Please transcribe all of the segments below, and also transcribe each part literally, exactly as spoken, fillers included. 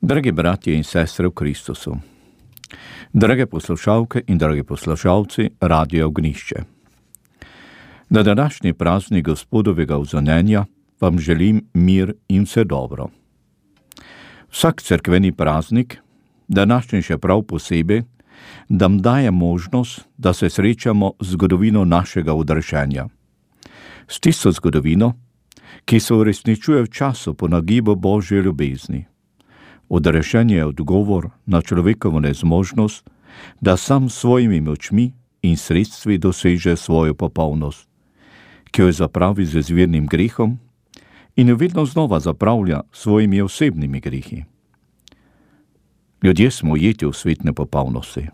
Dragi bratje in sestre v Kristusu, drage poslušalke in dragi poslušalci Radia Ognišče. Na današnji praznik Gospodovega vzonenja vam želim mir in vse dobro. Vsak cerkveni praznik, današnji še prav posebej, nam daje možnost, da se srečamo z zgodovino našega odrešenja. S tisto zgodovino, ki se uresničuje v času po nagibu Božje ljubezni. Odrešenje je odgovor na človekovo nezmožnost, da sam s svojimi močmi in sredstvi doseže svojo popolnost, ki jo zapravi z izvirnim grehom in jo vedno znova zapravlja s svojimi osebnimi grehi. Ljudje smo ujeti v svet nepopolnosti.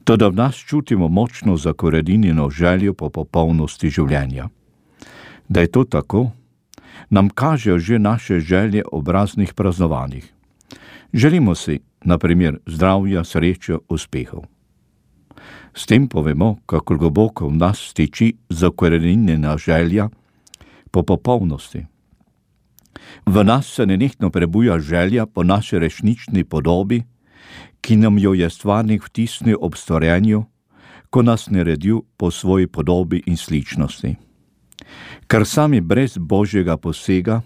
Toda v nas čutimo močno zakoreninjeno željo po popolnosti življenja. Da je to tako, nam kažejo že naše želje ob raznih praznovanjih. Želimo si, na primer, zdravja, srečo, uspehov. S tem povemo, kako globoko v nas stiči zakoreninjena želja po popolnosti. V nas se nenehno prebuja želja po naši resnični podobi, ki nam jo je stvarnik vtisnil ob stvarjenju, ko nas naredil po svoji podobi in sličnosti. Ker sami brez Božjega posega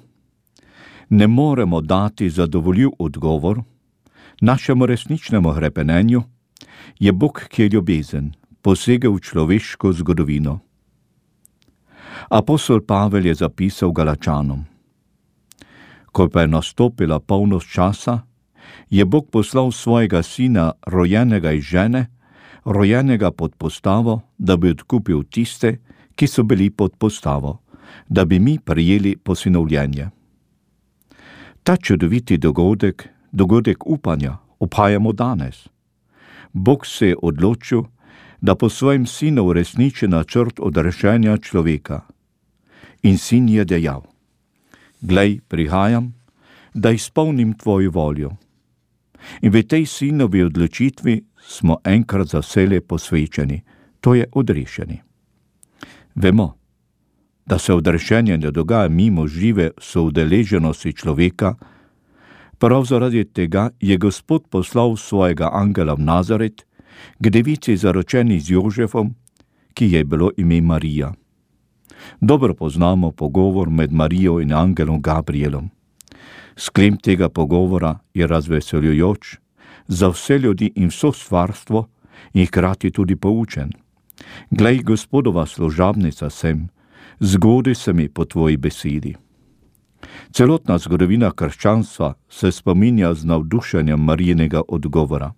ne moremo dati zadovoljiv odgovor našemu resničnemu hrepenenju, je Bog, ki je ljubezen, posegel v človeško zgodovino. Apostol Pavel je zapisal Galačanom: Ko pa je nastopila polnost časa, je Bog poslal svojega sina, rojenega iz žene, rojenega pod postavo, da bi odkupil tiste, ki so bili pod postavo, da bi mi prijeli posinovljenje. Ta čudoviti dogodek, dogodek upanja, obhajamo danes. Bog se je odločil, da po svojem sinu uresniči načrt odrešenja človeka. In sin je dejal: Glej, prihajam, da izpolnim tvojo voljo. In v tej sinovi odločitvi smo enkrat za vselej posvečeni, to je odrešeni. Vemo, da se odrešenje ne dogaja mimo žive soudeleženosti človeka, prav zaradi tega je Gospod poslal svojega angela v Nazaret k devici zaročeni z Jožefom, ki je bilo ime Marija. Dobro poznamo pogovor med Marijo in angelom Gabrielom. Sklep tega pogovora je razveseljujoč za vse ljudi in vso stvarstvo in hkrati tudi poučen. Glej, Gospodova služabnica sem, zgodi se mi po tvoji besedi. Celotna zgodovina krščanstva se spominja z navdušenjem Marijinega odgovora.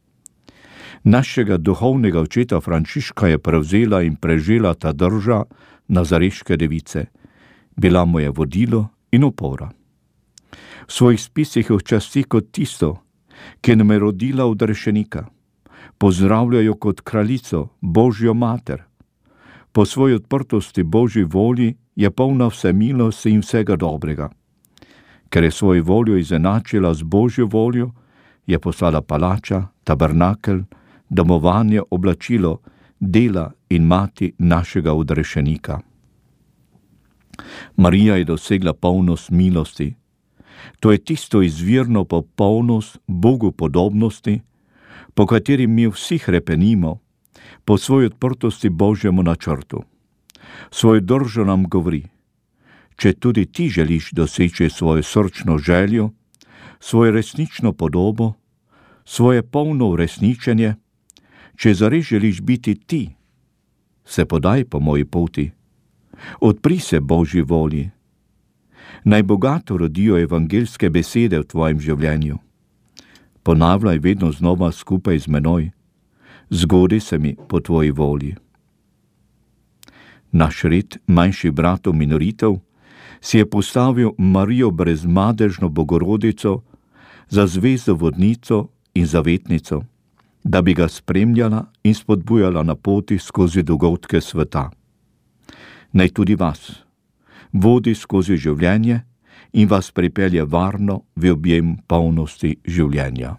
Našega duhovnega očeta Frančiška je prevzela in prežela ta drža nazareške device. Bila mu je vodilo in opora. V svojih spisih jo časti kot tisto, ki nam je rodila odrešenika. Pozdravljajo kot kraljico, Božjo mater. Po svoji odprtosti Božji volji je polna vse milosti in vsega dobrega. Ker je svojo voljo izenačila z Božjo voljo, je poslala palača, tabernakel, domovanje, oblačilo, dela in mati našega odrešenika. Marija je dosegla polnost milosti. To je tisto izvirno popolnost Bogu podobnosti, po kateri mi vsi hrepenimo, po svoji odprtosti Božjemu načrtu. Svojo držo nam govori: če tudi ti želiš doseči svojo srčno željo, svojo resnično podobo, svoje polno uresničenje, če zares želiš biti ti, se podaj po moji poti, odpri se Božji volji. Naj bogato rodijo evangeljske besede v tvojem življenju. Ponavljaj vedno znova skupaj z menoj: zgodi se mi po tvoji volji. Naš red manjših bratov minoritev si je postavil Marijo brezmadežno Bogorodico za zvezdo vodnico in zavetnico, da bi ga spremljala in spodbujala na poti skozi dogodke sveta. Naj tudi vas vodi skozi življenje in vas pripelje varno v objem polnosti življenja.